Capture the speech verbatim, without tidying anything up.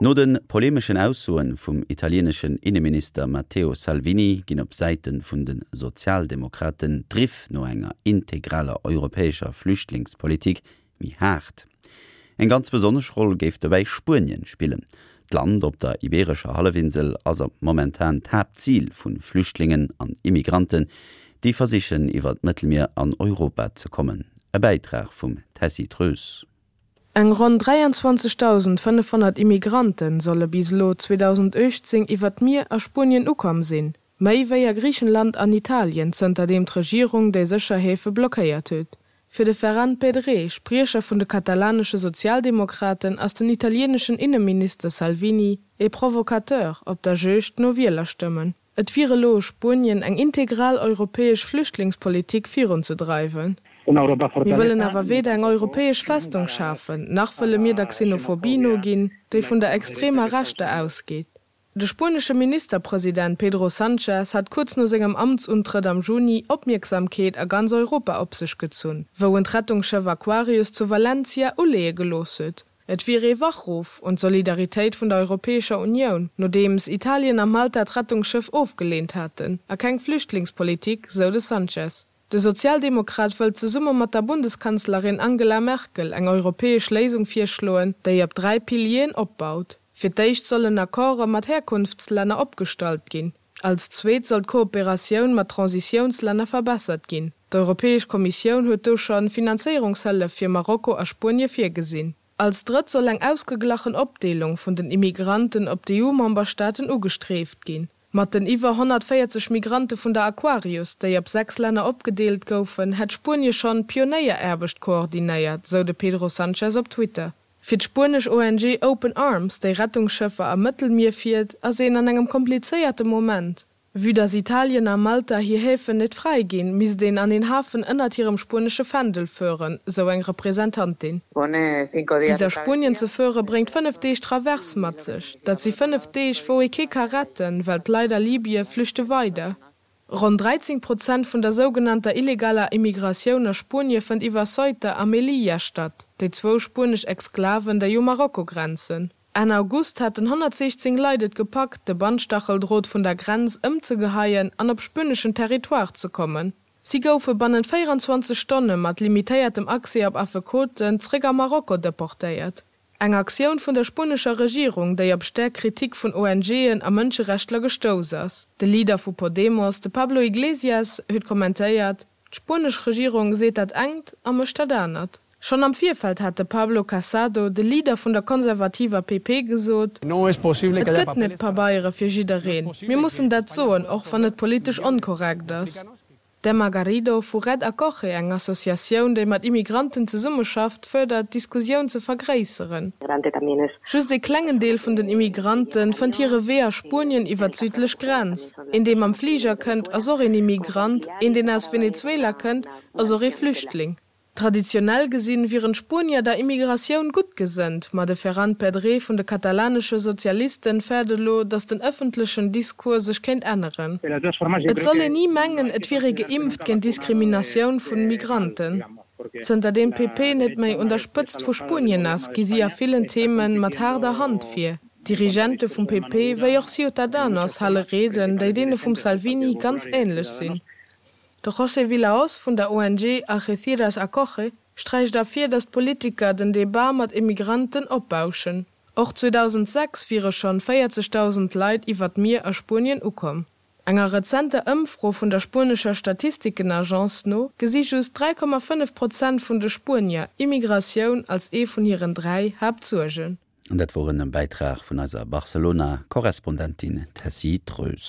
No den polemeschen Aussoen vum italieneschen Inneminister Matteo Salvini ginn op Säite vun de Sozialdemokraten d'Riff no enger integraler europäescher Flüchtlingspolitik méi haart. Eng ganz besonnesch Roll géif dobäi Spuenien spillen. D'Land op der ibeerescher Hallefinsel ass momentan d'Haaptzil vu Flüchtlingen an Immigranten, déi versichen iwwer d'Mëttelmier an Europa ze kommen. E Bäitrag vum Tessy Treus. Eng ronn dräianzwanzegdausendfënnefhonnert Immigrante solle bis elo zweedausenduechtzéng iwwer d'Mier a Spuenien ukomm sinn, méi wéi a Griichenland an Italien, zënterdeem d'Regierung déi sécher Häfe blockéiert huet. Fir de Ferran Pedret, Spriecher vun de katalanesche Sozialdemokraten, ass den italieneschen Inneminister Salvini ee Provocateur op der Juegd no Wielerstëmmen. Et wier elo u Spuenien, eng integral europäesch Flüchtlingspolitik virunzedreiwen. Mir wëllen awer weder eng europäesch Festung schafen, nach wëlle mir der Xenophobie noginn, déi vun der extremer Rechter ausgeet. De spuenesche Ministerpresident Pedro Sánchez hat kuerz no sengem Amtsuntrëtt am Juni Opmierksamkeet a ganz Europa op sech gezunn, wou en d'Rettungsschëff Aquarius zu Valencia uleeë gelooss huet. Et wier ee Wachruff un d'Solidaritéit vun der Europäescher Unioun, nodeems Italien a Malta d'Rettungsschëff ofgeleent haten, a keng Flüchtlingspolitik, sou de Sánchez. De Sozialdemokrat wëllt zesumme mat der Bundeskanzlerin Angela Merkel eng europäesch Léisung virschloen, déi op dräi Pilieren opbaut. Fir d'éischt sollen Accorde mat Herkunftslänner opgestallt ginn. Als zweet soll d'Kooperatioun mat Transitiounslänner verbessert ginn. D'Europäesch Kommissioun huet do scho Finanzéierungshëllef fir Marokko a Spuenie virgesinn. Als drëtt soll eng ausgeglachen Opdeelung vun den Immigranten op d'EU-Memberstaaten ugestrieft ginn. Mat den iwwer honnertvéierzeg Migrante vun der Aquarius, déi op sechs Länner opgedeelt goufen, hätt Spuenie schonn Pionéieraarbecht koordinéiert, sou de Pedro Sanchez op Twitter. Fir d'spuenesch O N G Open Arms, déi Rettungsschëffer am Mëttelmier fiert, ass een an engem komplizéierte Moment. Vue dass Italien a Malta hir Häfen net fräiginn, misst een an een Hafen ënnert hirem spuenesche Fändel fueren, sou eng Representantin. Bis a Spuenien ze fuere bréngt fënnef Deeg Traverse mat sech. Dat si fënnef Deeg, wou ee kee ka retten, well d'Leit a Libye flüchte weider. Ronn dräizéng Prozent vun der sougenannter illegaler Immigratioun a Spuenie fënnt iwwer Ceuta a Melilla statt, déi zwou spuenesch Exklaven, déi u Marokko grenzen. Enn August haten honnertsiechzéng Leit et gepackt, de Bandstacheldrot vun der Grenz ëmzegeheien an op spueneschen Territoire ze kommen. Si goufe bannent véieranzwanzeg Stonne mat limitéiertem Accès op Affekoten zréck a Marokko deportéiert. Eng Aktioun vun der spuenescher Regierung, déi op staark Kritik vun O N G'en a Mënscherechtler gestouss ass. De Leader vu Podemos, de Pablo Iglesias, huet kommentéiert, D'spuenesch Regierung seet dat engt a mécht dat anert. Schonn am Virfeld hat de Pablo Casado, de Leader vun der konservativer P P gesot, Et gëtt net Pabeiere fir jiddereen. Mir mussen dat soen, och wann et politesch onkorrekt ass. D'Emma Garrido vu Red Acoge, eng Associatioun, déi mat Immigranten zesummeschafft, fuerdert, d'Diskussioun ze vergréisseren. Just ee klengen Deel vun den Immigrante fënnt hire Wee a Spuenien iwwer d'südlech Grenz. Een, dee mam Fliger kënnt, ass och een Immigrant, een, deen aus Venezuela kënnt, ass och ee Flüchtling. Traditionell gesinn, wieren d'Spuenier der Immigratioun gutt gesënnt, ma de Ferran Pedret vun de katalanesche Sozialisten fäert elo, datt den ëffentlechen Discours sech kéint änneren. Et soll een ni mengen, et wier ee geimpft géint Diskriminatioun vu Migranten. Zënter deem d'P P net méi un der Spëtzt vu Spuenien ass, gi si a villen Theme mat haarder Hand vir. D'Dirigente vum P P wéi och Ciutadanos hale Rieden, déi deene vum Salvini ganz änlech sinn. De José Villahoz vun der O N G Algeciras Acoge sträicht ervir, datt d'Politiker den Debat mat Immigranten opbauschen. Och zweedausendsechs wiere schonn véierzegdausend Leit iwwer d'Mier a Spuenien ukomm. Enger rezenter Ëmfro vun der spuenescher Statistikenagence no gesi just dräi Komma fënnef Prozent vun de Spuenier Immigratioun als ee vun hiren dräi Haaptsuergen. An dat wor en Bäitrag vun eiser Barcelona-Korrespondentin Tessy Treus.